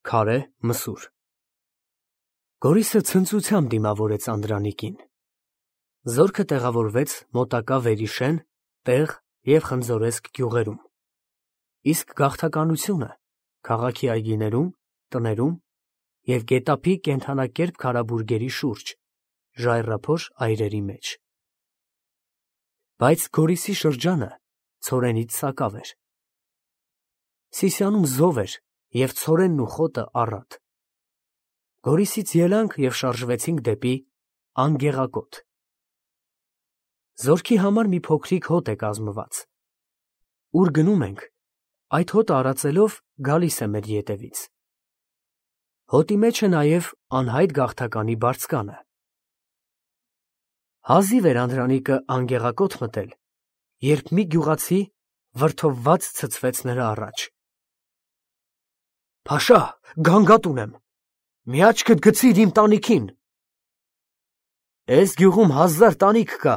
Քարե մսուր։ Գորիսը ցնծությամբ դիմավորեց Անդրանիկին։ Զորքը տեղավորվեց մոտակա Վերիշեն, Տեղ և Խնձորեսկ գյուղերում, իսկ գաղթականությունը քաղաքի այգիներում, տներում և գետափի կենդանակերպ քարաբուրգերի շուրջ, ժայռափոշ այրերի մեջ։ Բայց Գորիսի շրջանը ցորենից սակավ էր։ Սիսիանում զով էր և ցորենն ու խոտը առատ։ Գորիսից ելանք և շարժվեցինք դեպի Անգեղակոտ։ Զորքի համար մի փոքրիկ հոտ է կազմված։ Ուր գնում ենք, այդ հոտը արածելով գալիս է մեր ետևից։ Հոտի մեջ է նաև անհայտ գաղթականի բարձկանը։ Հազիվ էր Անդրանիկը Անգեղակոտ մտել, երբ մի գյուղացի վրդովված ցցվեց նրա առաջ։ «Փաշա, գանգատ ունեմ, մի աչքդ գցիր իմ տանիքին»։ «Էս գյուղում 1000 տանիք կա,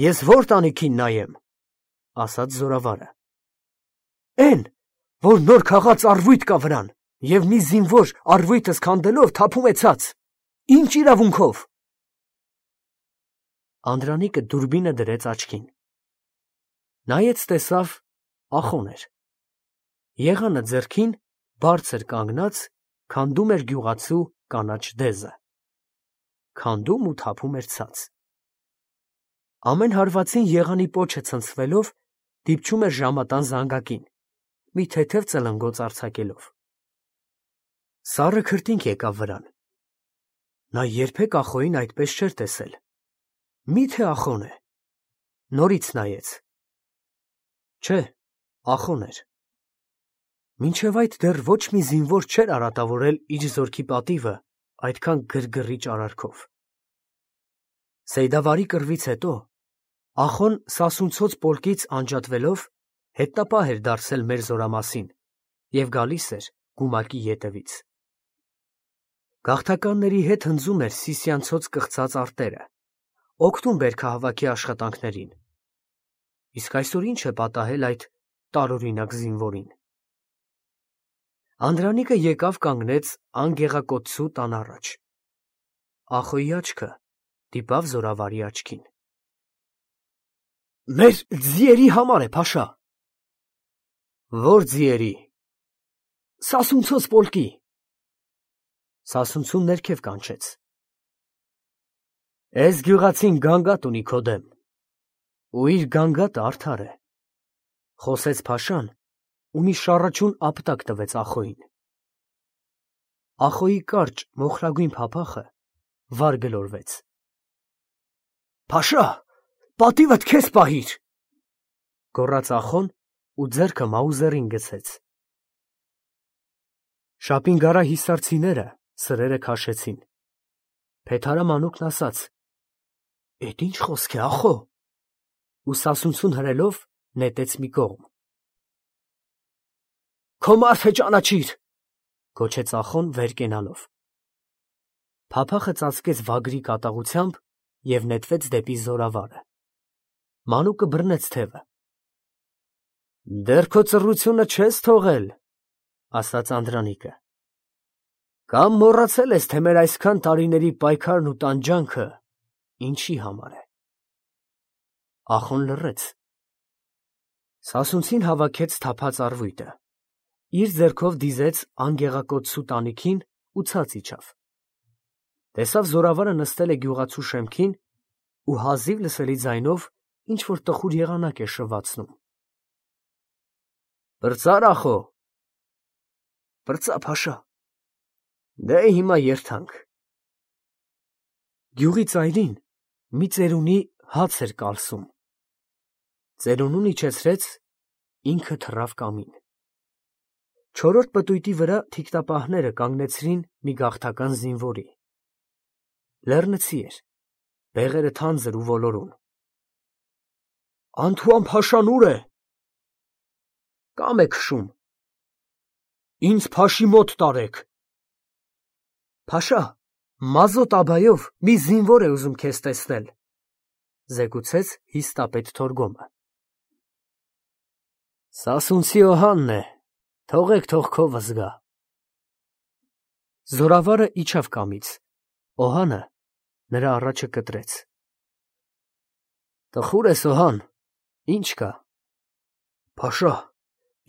ես ո՞ր տանիքին նայեմ», ասաց զորավարը։ «Էն, որ նոր քաղած առվույթ կա վրան, և մի զինվոր առվույտս քանդելով թափում է ցած, ի՞նչ իրավունքով»։ Անդրանիկը դուրբինը դրեց աչքին։ Նայեց, տեսավ, ախոն էր։ Եղանը ձեռքին, բարձր կանգնած, քանդում էր գյուղացու կանաչ դեզը։ Քանդում ու թափում էր ցած։ Ամեն հարվածին եղանի պոչը ցնցվելով դիպչում էր ժամատան զանգակին, մի թեթև ծլնգոց արձակելով։ Սառը քրտինք եկավ վրան։ Նա երբեք ախոյին այդպես չէր տեսել։ Մի՞թե ախոն է։ Նորից նայեց։ Չէ, ախոն էր։ Մինչև այդ դեռ ոչ մի զինվոր չէր արատավորել իր զորքի պատիվը այդքան գրգռիչ արարքով։ Սեյդավարի կռվից հետո ախոն Սասունցոց պոլկից անջատվելով հետնապահ էր դարձել մեր զորամասին և գալիս էր գումակի ետևից։ Գաղթականների հետ հնձում էր Սիսիանցոց կղծած արտերը, օգնում բերքահավաքի աշխատանքներին։ Իսկ այսօր ինչ է պատահել այդ տարօրինակ զինվորին։ Անդրանիկը եկավ կանգնեց Անգեղակոծու տան առաջ։ Ախոյի աչքը դիպավ զորավարի աչքին։ Մեր ձիերի համար է, Փաշա։ Ո՞ր ձիերի։ Սասունցոց պոլկի։ Սասունցուն ներքև կանչեց։ Էս գյուղացին գանգատ ունի քո դեմ, ու իր գանգատը արդար է, խոսեց Փաշան ու մի շառաչուն ապտակ տվեց ախոյին։ Ախոյի կարճ մոխրագույն փափախը վար գլորվեց։ Փաշա, պատիվդ քեզ պահիր, գոռաց ախոն ու ձեռքը մաուզերին գցեց։ Շապինգարա հիսարցիները սրերը քաշեցին։ Փեթարամանուկն ասաց. «Էդ ինչ խոսք է, ախո», ու Սասունցուն հրելով նետեց մի կողմ։ Քո մարդը ճանաչիր, գոչեց ախոն վեր կենալով։ Փափախը ծածկեց վագրի կատաղությամբ և նետվեց դեպի զորավարը։ Մանուկը բռնեց թևը։ Դեռ քո ծռությունը չես թողել, ասաց Անդրանիկը։ Կամ մոռացել ես, թե մեր այսքան տարիների պայքարն ու տանջանքը ինչի համար է։ Ախոն լռեց։ Սասունցին հավաքեց թափած առվույտը, իր ձեռքով դիզեց Անգեղակոծու տանիքին ու ցած իջավ։ Տեսավ զորավարը նստել է գյուղացու շեմքին ու հազիվ լսելի ձայնով ինչ-որ տխուր եղանակ է շվացնում։ Պրծա՞ր, ախո։ Պրծա, Փաշա։ Դե հիմա երթանք։ Գյուղի ծայրին մի ծերունի հաց էր կալսում։ Ծերունուն իջեցրեց, ինքը թռավ կամին։ Չորրորդ պտույտի վրա թիկնապահները կանգնեցրին մի գաղթական զինվորի։ Լեռնցի էր, բեղերը թանձր ու ոլորուն։ Անթուան Փաշան ուր է։ Կամ է քշում։ Ինձ Փաշի մոտ տարեք։ Փաշա, Մազոտ աբայով մի զինվոր է ուզում քեզ տեսնել, զեկուցեց հիստապետ Թորգոմը։ Սասունցի Օհանն է, թողեք, թող քովը զգա։ Զորավարը իջավ կամից, Օհանը նրա առաջը կտրեց։ Տխուր ես, Օհան, ինչ կա։ Փաշա,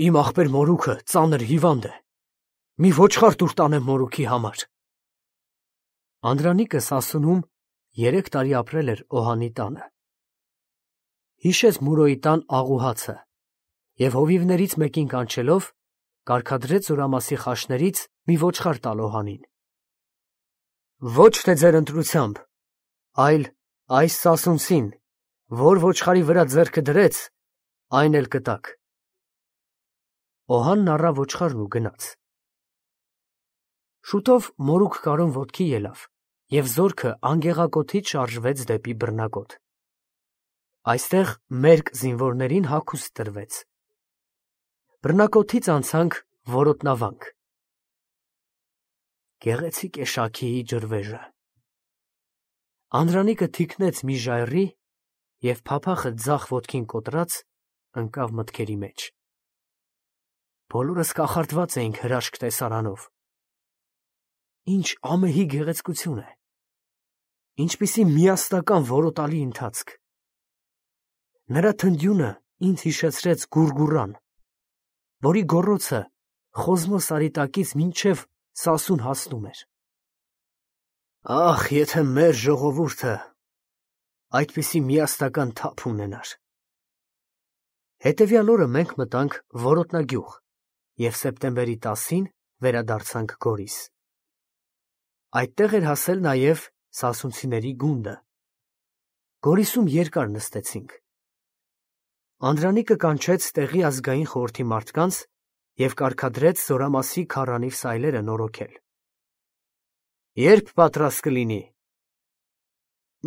իմ ախպեր մորուքը ծանր հիվանդ է, մի ոչխար տուր տանեմ մորուքի համար։ Անդրանիկը Սասունում 3 տարի ապրել էր Օհանի տանը։ Հիշեց Մուրոյի տան աղուհացը և հովիվներից մեկին կանչելով, կարգադրեց զորամասի խաշներից մի ոչխար տալ Օհանին։ Ոչ թե ձեր ընտրությամբ, այլ այս Սասունցին, որ ոչխարի վրա ձեռքը դրեց, այն էլ կտաք։ Օհանն առավ ոչխարն ու գնաց։ Շուտով մորուք կարուն ոտքի ելավ և զորքը անգեղակոթից շարժվեց դեպի բռնակոտ։ Այստեղ մերկ զինվորներին հագուստ տրվեց։ Բռնակոթից անցանք որոտնավանք։ Գեղեցիկ է Շաքիի ջրվեժը։ Անդրանիկը թիկնեց մի ժայռի և փափախը ձախ ոտքին կոտրած ընկավ մտքերի մեջ։ Բոլորս կախարդված էինք հրաշք տեսարանով։ Ինչ ամեհի գեղեցկություն է, ինչպիսի միասնական որոտալի ընթացք։ Նրա թնդյունը ինձ հիշեցրեց գուրգուրան, որի գոռոցը Խոզմո սարիտակից մինչև Սասուն հասնում էր։ Ախ, եթե մեր ժողովուրդը այդպիսի միասնական թափ ունենար։ Հետևյալ օրը մենք մտանք Որոտնագյուղ և սեպտեմբերի 10-ին վերադարձանք Գորիս։ Այդտեղ էր հասել նաև սասունցիների գունդը։ Գորիսում երկար նստեցինք։ Անդրանիկը կանչեց տեղի ազգային խորհրդի մարդկանց և կարգադրեց զորամասի քառանիվ սայլերը նորոգել։ Երբ պատրաստ կլինի։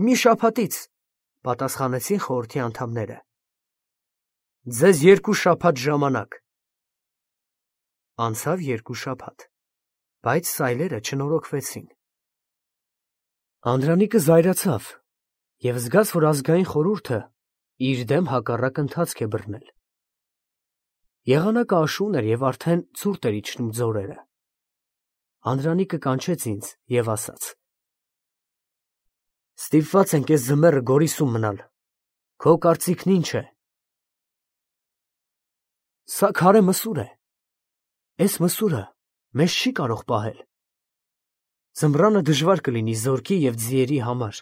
Մի շաբաթից, պատասխանեցին խորհրդի անդամները։ Ձեզ 2 շաբաթ ժամանակ։ Անցավ 2 շաբաթ, բայց սայլերը չնորոգվեցին։ Անդրանիկը զայրացավ և զգաց, որ ազգային խորհուրդը իր դեմ հակառակ ընթացք է բռնել։ Եղանակը աշուն էր և արդեն ցուրտ էր իջնում ձորերը։ Անդրանիկը կանչեց ինձ և ասաց. Ստիպված ենք էս ձմեռը Գորիսում մնալ, քո կարծիքն ինչ է։ Սա քարե մսուր է, էս մսուրը մեզ չի կարող պահել։ Ձմռանը դժվար կլինի զորքի և ձիերի համար։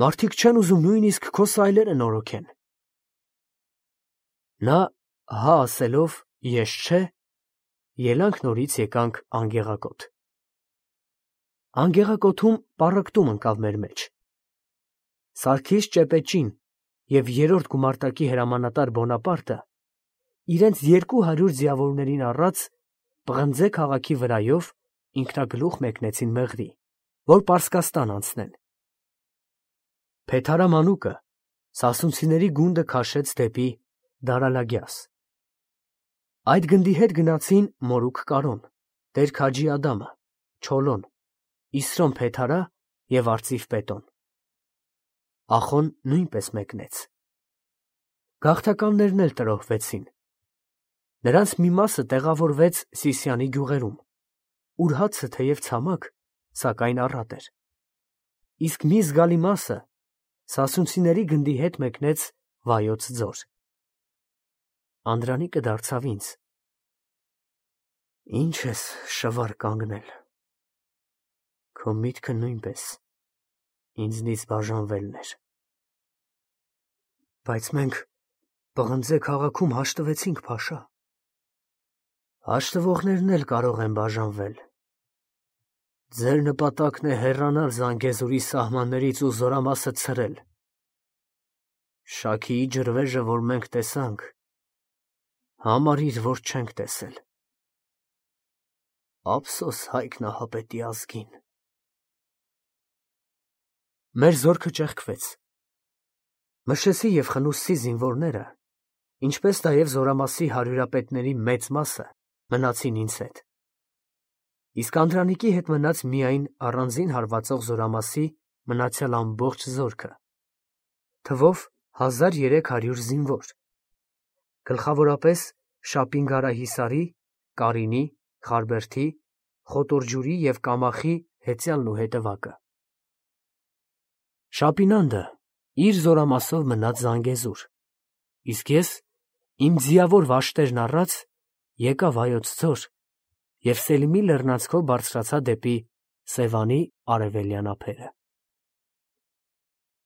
Մարդիկ չեն ուզում նույնիսկ քո սայլերը նորոգեն։ Նա հա ասելով ես չէ, ելանք նորից եկանք Անգեղակոտ։ Անգեղակոթում պառակտում ընկավ մեր մեջ։ Սարգիս Ճեպեճին և 3-րդ գումարտակի հրամանատար Բոնապարտը իրենց 200 ձիավորներին առած Պղնձե քաղաքի վրայով ինքնագլուխ մեկնեցին Մեղրի, որ Պարսկաստան անցնեն։ Փեթհարամանուկը սասունցիների գունդը քաշեց դեպի Դարալագյաս։ Այդ գնդի հետ գնացին Մորուք Կարոն, Տեր Քաջի Ադամը, Չոլոն, Իսրոն Փեթհարա և Արծիվ Պետոն։ Ախոն նույնպես մեկնեց։ Գաղթականներն էլ տրոհվեցին։ Նրանց մի մասը տեղավորվեց Սիսիանի գյուղերում, ուր հացը թեև ցամաք, սակայն առատ էր։ Իսկ մի զգալի մասը սասունցիների գնդի հետ մեկնեց Վայոց ձոր։ Անդրանիկը դարձավ ինձ. Ինչ ես շվար կանգնել, քո միտքը նույնպես ինձնից բաժանվելն էր։ Բայց մենք Պղնձե քաղաքում հաշտվեցինք, Փաշա։ Հաշտվողներն էլ կարող են բաժանվել։ Ձեր նպատակն է հեռանալ Զանգեզուրի սահմաններից ու զորամասը ցրել։ Շաքիի ջրվեժը, որ մենք տեսանք, համարիր, որ չենք տեսել։ Ափսոս Հայկ Նահապետի ազգին։ Մեր զորքը ճեղքվեց։ Մշեսի և Խնուսցի զինվորները, ինչպես նաև զորամասի հարյուրապետների մեծ մասը մնացին ինձ հետ։ Իսկ Անդրանիկի հետ մնաց միայն առանձին հարվածող զորամասի մնացյալ ամբողջ զորքը, թվով 1300 զինվոր, գլխավորապես Շապինգարահիսարի, Կարինի, Խարբերդի, խոտորջուրի և կամախի հեծյալն ու հետևակը։ Շապինանդը իր զորամասով մնաց Զանգեզուր, իսկ ես իմ ձիավոր վաշտերն առած եկա Վայոց ձոր և Սելիմի լեռնանցքով բարձրացա դեպի Սևանի արևելյան ափերը։